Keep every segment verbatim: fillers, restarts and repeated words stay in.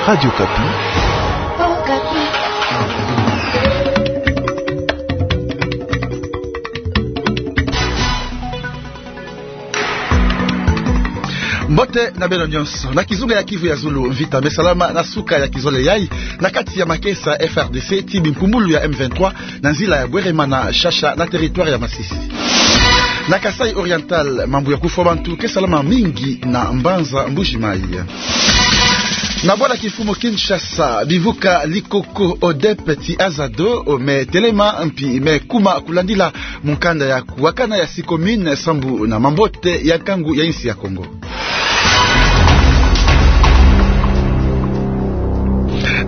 Radio Okapi. Mbote na beno nyonso. Na kizunga ya Kivu ya Zulu, mvita me salama na suka ya kizole yai, na kati ya makesa F R D C tii bimpumbulu ya M vingt-trois, na nzila ya Bweremana, Shasha, na territoire ya Masisi. Na Kasaï Oriental, mambu ya kufwa bantu ke salama mingi na mbanza Mbuji-Mayi. Na bwala kimfumu Kinshasa, bivuka likoko ODEP tii AZADO me telema mpi me kuma kulandila mukanda ya kuwakana ya six communes sambu na mambote ya nkangu ya insi ya Kongo.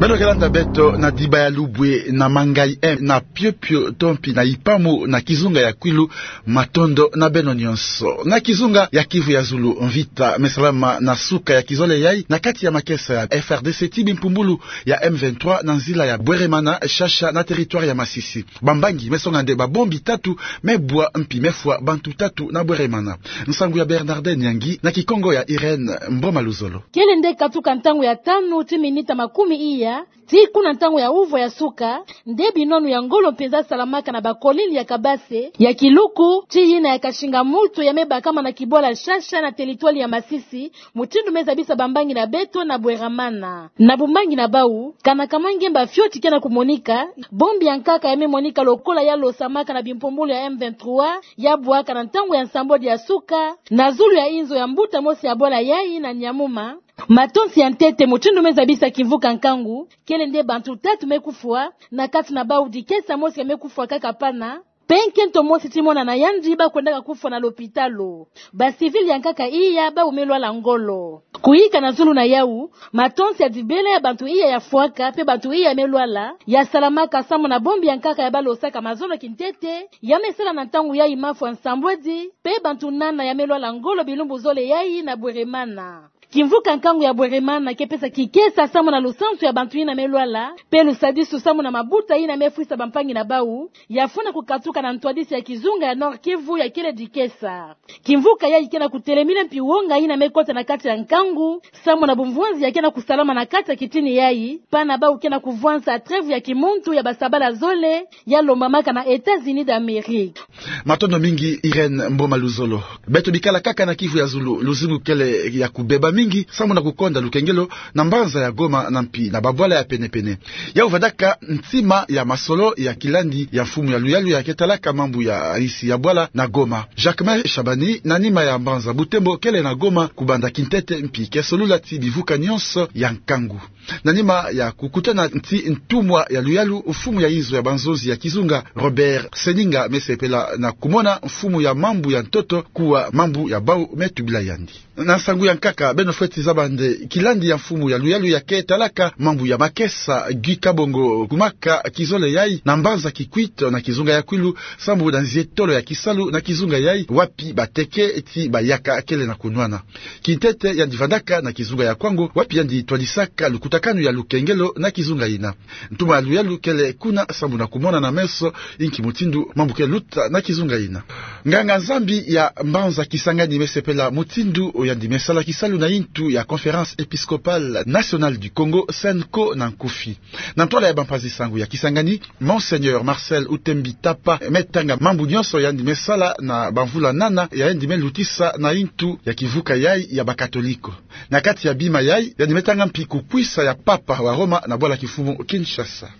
Beno ke landa beto na Diba ya Lubwe, na Mangaï un, na Piopio to mpi na Ipamu, na kizunga ya Kwilu. Matondo na beno nyonso. Na kizunga ya Kivu ya Zulu, mvita me salama na suka ya kizole yai, na kati ya makesa ya F R D C tii bimpumbulu ya M vingt-trois, na nzila ya Bweremana, Shasha, na territoire ya Masisi. Bambangi me songa nde babombi tatu me bwa mpi me fwa bantu tatu na Bweremana. Nsangu ya Bernardin Nyangi, na Kikongo ya Irène Mboma Luzolo. Kele nde katuka ntangu ya tanu tii minita makumi iya, tii kuna ntangu ya uvwa ya suka, nde binwanu ya ngolo mpenza salamaka na bakolili ya kabase, ya kiluku, tii yina ya Kashinga Mutu, ya me bakama na kibwala Shasha na teritwali ya Masisi, mutindu me zabisa bambangi na beto na Bweremana. Na bumbangi na bau, kana kama ngemba fioti ke na kumonika, bombi ya nkaka ya me monika lokola ya losamaka na bimpumbulu ya M vingt-trois, ya bwaka na ntangu ya nsambwadi ya suka, na zulu ya inzo ya mbuta mosi ya bwala yai na Nyamuma. Matonsi ya ntete, mutindu me zabisa kimvuka nkangu, kele nde bantu tatu me kufwa, na kati na bau dikesa mosi ya me kufwa kaka pana, mpe nkento mosi tii mona na yandi ba kwendaka kufwa na lopitalo. Ba civils ya nkaka iya bau me lwala ngolo. Kuyika na zulu na yau, matonsi ya dibele ya bantu iya ya fwaka mpe bantu iya me lwala, ya salamaka samu na bombi ya nkaka ya ba losaka mazono kintete, ya me sala na ntangu yai mafwa nsambwadi, mpe bantu nana ya me lwala ngolo bilumbu zole yai na Bweremana. Kimvuka nkangu ya Bweremana ke pesa kikesa samu na lusansu ya bantu yina me lwala, mpe lusadisu samu na mabuta yina me fwisa bampangi na bau, ya funa kukatuka na ntwadisi ya kizunga ya Nord-Kivu ya kele dikesa. Kimvuka yai ke na kutelemina mpi wonga yina me kota na kati ya nkangu, samu na bumvwanzi ya ke na kusalama na kati ya kitini yai, pana bau ke na kuvwansa trêve ya kimuntu ya basabala zole, ya lombamaka na États-Unis d'Amérique. Matondo mingi, Irène Mboma Luzolo. Beto bikala kaka na Kivu ya Zulu, luzingu kele ya kubeba mingi, samu na kukonda lukengelo na mbanza ya Goma na mpi na babwala ya pene-pene. Yau vandaka ntima ya masolo ya kilandi ya mfumu ya luyalu ya ke talaka mambu ya insi ya bwala na Goma, Jacquemain Shabani, na nima ya mbanza Butembo, kele na Goma kubanda kintete mpi ke solula tii bivuka nyonso ya nkangu. Na nima ya kukutana tii ntumwa ya luyalu, mfumu ya inzo ya banzonzi ya kizunga, Robert Seninga, me sepela na kumona mfumu ya mambu ya ntoto kuwa mambu ya bau me tubila yandi. Na nsangu ya nkaka, beno fweti zaba nde kilandi ya mfumu ya luyalu ya ke talaka mambu ya makesa, Guy Kabongo, kumaka kizole yai na mbanza Kikwit na kizunga ya Kwilu, samu na nzietolo ya kisalu na kizunga yai, wapi bateke tii bayaka kele na kunwana. Kintete yandi vandaka na kizunga ya Kwango, wapi yandi twadisaka lukutakanu ya lukengelo na kizunga yina. Ntumwa ya luyalu kele kuna samu na kumona na meso inki mutindu mambu ke luta na kizunga yina. Nganga-Nzambi ya mbanza Kisangani me sepela mutindu yandi me sala kisalu na intu ya Conférence Épiscopale Nationale du Congo, CENCO na nkufi. Na ntwala ya bampazi-sango ya Kisangani, Monseigneur Marcel Utembi Tapa me tanga mambu nyonso yandi me sala na bamvula nana yandi me lutisa na intu ya kivuka yai ya Bakatoliko. Na kati ya bima yai, yandi me tanga mpi kukwisa ya Papa wa Roma na bwala kimfumu Kinshasa.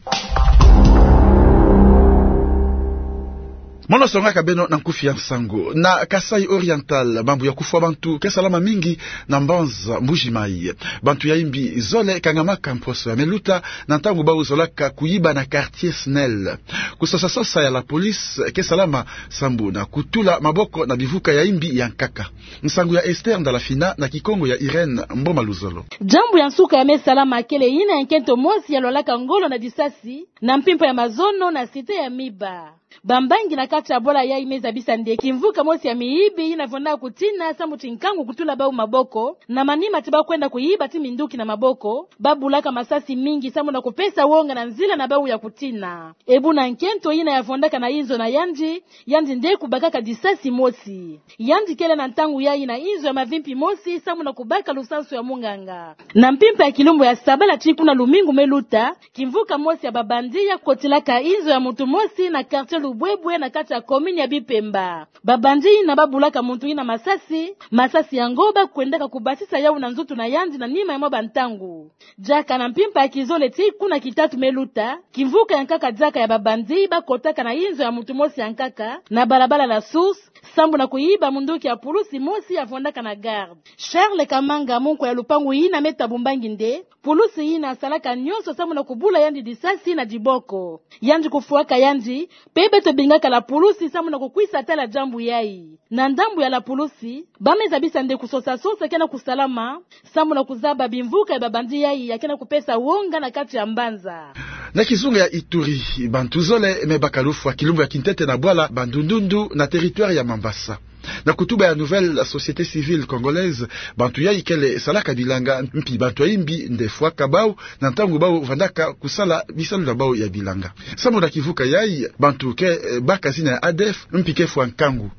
Mono songaka beno na nkufi ya nsangu. Na Kasaï Oriental, mambu ya kufwa bantu ke salama mingi na mbanza Mbuji-Mayi. Bantu ya imbi zole kangamaka mposo ya me luta na ntangu bau zolaka kuyiba na quartier SNEL. Kusosa-sosa ya la police ke salama sambu na kutula maboko na bivuka ya imbi ya nkaka. Nsangu ya Esther Ndalafina na Kikongo ya Irène Mboma Luzolo. Jambu ya nsuka ya me salama kele yina ya nkento mosi ya lwalaka ngolo na disasi na mpimpa ya mazono na cité ya Miba. Bambangi na kati ya bwala yayi me zabisa nde kimvuka mosi ya miyibi yina vwandaka kutina sambu ti nkangu kutula bau maboko, na manima ti ba kwenda kuyiba ti minduki na maboko, ba bulaka masasi mingi sambu na kupesa wonga na nzila na bau ya kutina. E buna nkento yina ya vwandaka na inzo na yandi, yandi nde kubakaka disasi mosi. Yandi kele na ntangu yayi na inzo ya mavimpi mosi sambu na kubaka lusansu ya munganga. Na mpimpa ya kilumbu ya sabala ti kuna lumingu me luta, kimvuka mosi ya babandi ya kotilaka inzo ya muntu mosi na quartier Lubwebwe na kati ya commune ya Bipemba. Babandi yina ba bulaka muntu yina masasi, masasi yango ba kwendaka kubasisa yau na nzutu na yandi na nima ya mwa bantangu. Diaka na mpimpa ya kizole ti kuna kitatu me luta, kimvuka ya nkaka diaka ya babandi ba kotaka na inzo ya muntu mosi ya nkaka na balabala La Source, sambu na kuyiba munduki ya pulusi mosi ya vwandaka na garde. Charles Kamanga, munkwa ya lupangu yina me tabumbangi nde, pulusi yina salaka nyonso sambu na kubula yandi disasi na diboko. Yandi kufwaka yandi, pe beto bingaka la pulusi sambu na kukwisa tala diambu yayi. Na ndambu ya la pulusi, ba me zabisa nde kusosa-sosa ke na kusalama, sambu na kuzaba bimvuka ya babandi yayi ya ke na kupesa wonga na kati ya mbanza. Na kizunga ya Ituri, bantu zole me baka lufwa kilumbu ya kintete na bwala Bandundundu na territoire ya Mambasa. Na kutuba ya Nouvelle Société Civile Congolaise, bantu yayi kele salaka bilanga mpi bantu ya imbi nde fwaka bau na ntangu bau vandaka kusala bisalu na bau ya bilanga. Sambu na kivuka yayi, bantu ke, eh, baka zina ya A D F mpi ke fwa nkangu.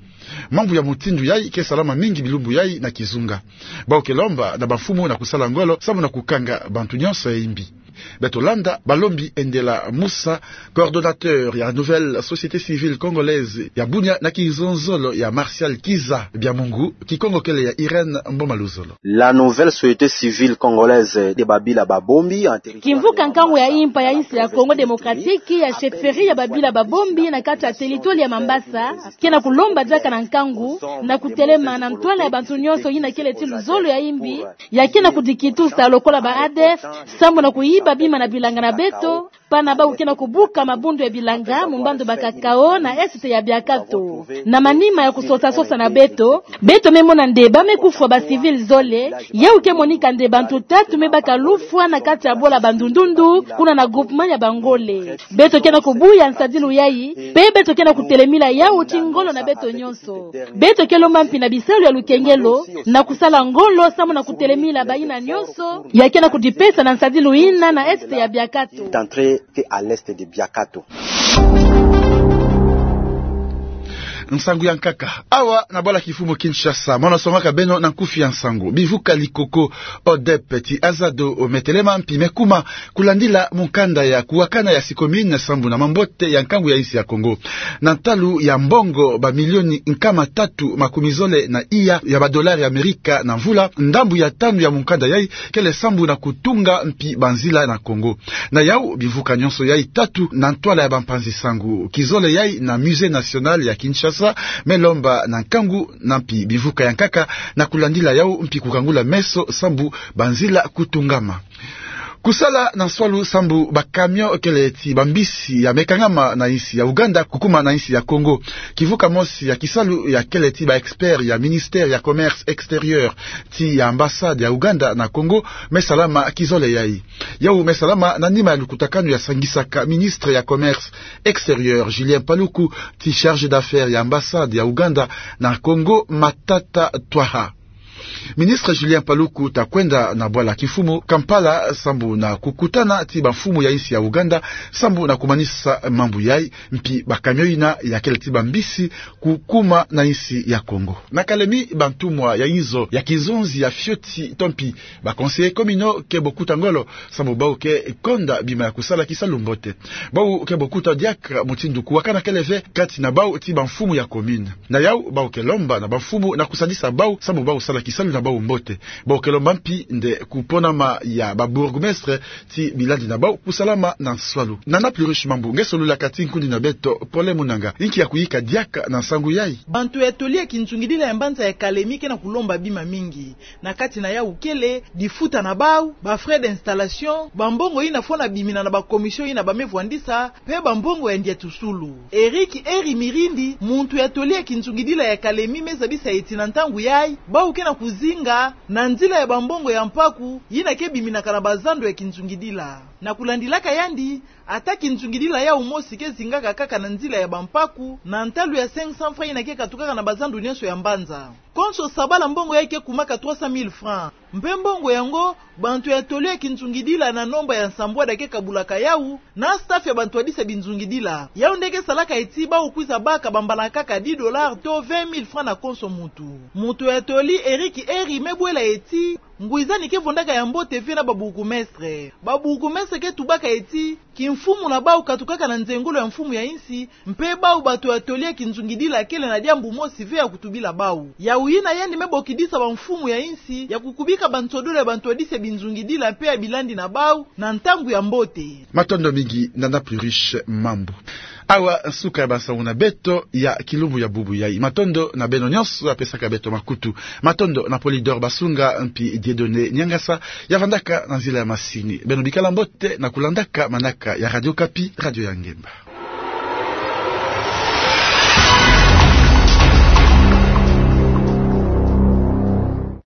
Mambu ya mutindu yayi ke salama mingi bilumbu yayi na kizunga. Bau ke lomba na bamfumu na kusala ngolo sambu na kukanga bantu nyonso ya imbi. Beto landa balombi Endela Musa, coordonnateur ya Nouvelle Société Civile Congolaise ya Bunia, na kizonzolo ya Martial Kiza Biamungu, Kikongo kele ya Irène Mboma Luzolo. La Nouvelle Société Civile Congolaise de Babila Babombi, en territoire kimvuka nkangu ya impa ya insi ya Congo Démocratique ya chefferie ya Babila Babombi na kati ya territoire ya Mambasa, ke na kulomba diaka na nkangu na kutelema na ntwala ya bantu nyonso yina kele ti luzolo ya imbi, ya ke na kudikitusa lokola ba A D F, sambu na kuyiba bima na bilanga na beto, pana bau ke na kubuka mabundu ya bilanga mu mbandu ba Kakao na Est ya Biakato. Na manima ya kusosa-sosa na beto, beto me mona nde ba me kufwa ba civil zole, yau ke monika nde bantu tatu me baka lufwa na kati ya bwala Bandundundu, kuna na groupement ya Bangole. Beto ke na kubuya nsadilu yayi, pe beto ke na kutelemila yau ti ngolo na beto nyonso. Beto ke lomba mpi na bisalu ya lukengelo na kusala ngolo sambu na kutelemila bayina nyonso ya ke na kudipesa na nsadilu yina na Est ya Biakato. D'entrée que à l'Est de Biakato. Nsangu ya nkaka. Awa na bwala kimfumu Kinshasa, mono songaka beno na nkufi ya nsangu. Bivuka likoko ODEP ti Azado me telema mpi me kuma kulandila mukanda ya kuwakana ya six communes sambu na mambote ya nkangu ya insi ya Congo. Na ntalu ya mbongo ba milioni nkama tatu makumi zole na iya ya ba dollars ya Amerika na mvula, ndambu ya tanu ya mukanda yayi kele sambu na kutunga mpi banzila na Congo. Na yau, bivuka nyonso yayi tatu na ntwala ya bampanzi-nsangu kizole yayi na Musée National ya Kinshasa me lomba na nkangu na mpi bivuka ya nkaka na kulandila yau mpi kukangula meso sambu banzila kutungama. Kusala na nswalu sambu ba camion kele ti bambisi ya me kangama na insi ya Ouganda kukuma na insi ya Congo. Kivuka mosi ya kisalu ya kele ti ba experts ya ministère ya commerce extérieur ti ya ambassade ya Ouganda na Congo me salama kizole yayi. Yau me salama na nima ya lukutakanu ya sangisaka ministre ya commerce extérieur Julien Paluku ti chargé d'affaires ya ambassade ya Ouganda na Congo Matata Twaha. Ministre Julien Paluku ta kwenda na bwala kimfumu Kampala sambu na kukutana ti bamfumu ya insi ya Ouganda sambu na kumanisa mambu yayi mpi ba camion yina ya kele ti bambisi kukuma na insi ya Congo. Na Kalemi, bantumwa ya inzo ya kizonzi ya fioti to mpi ba conseillers communaux ke bokuta ngolo sambu bau ke konda bima ya kusala kisalu mbote. Bau ke bokuta diaka mutindu kuwakana kele ve kati na bau ti bamfumu ya commune. Na yau, bau ke lomba na bamfumu na kusadisa bau sambu bau sala kisalu na bau mbote. Bau ke lomba mpi nde kuponama ya ba bourgmestre ti bilandi na bau kusalama na nswalu. Nana Pluriche Mambu nge solulaka ti nkundi na beto Pole Munanga. Inki ya kuyika diaka na nsangu yayi? Bantu ya toli ya kinzungidila ya mbanza ya Kalemi ke na kulomba bima mingi. Na kati na yau kele difuta na bau, ba frais d'installation, bambongo yina fwana bimina na ba commission yina ba me vwandisa, pe bambongo ya ndiatusulu. Eric Eri Mirindi, muntu ya toli ya kinzungidila ya Kalemi, me zabisa ti na ntangu yayi, bau ke na kuzinga na nzila ya bambongo ya mpaku yina ke biminaka na bazando ya kinzungidila. Na kulandilaka yandi, ata kinzungidila yau mosi ke zingaka kaka na nzila ya bampaku, na ntalu ya cinq cents francs yina ke katukaka na bazando nyonso ya mbanza. Konso sabala mbongo yai ke kumaka trois cent mille francs. Mpe mbongo yango, bantu ya toli ya kinzungidila na nomba ya nsambwada ke kabulaka yau, na staff ya bantu ya disa binzungidila. Yau nde ke salaka eti bau kwiza baka bambala kaka dix dollars to vingt mille francs na konso muntu. Muntu ya toli Eric Eri me bwela eti, ngwizani ke vondaka ya mbote ve na babourgmestre. Babourgmestre ke tubaka eti, kimfumu na bau katukaka na nzengolo ya mfumu ya insi, mpe bau bato ya toli ya kinzungidila kele na diambu mosi ve ya kutubila bau. Yau yina yandi me bokidisa bamfumu ya insi ya kukubika bansodolo ya bantu ya disa binzungidila mpe ya bilandi na bau na ntangu ya mbote. Matondo mingi, Nana Pluriche Mambu. Awa suka ya bansangu na beto ya kilumbu ya bubu yai. Matondo na beno nyonso ya pesaka beto makutu. Matondo na Polydor Basunga mpi Dieudonné Niangasa ya vandaka na nzila ya masini. Beno bikala mbote na kulandaka manaka ya Radio Okapi, radio ya ngemba.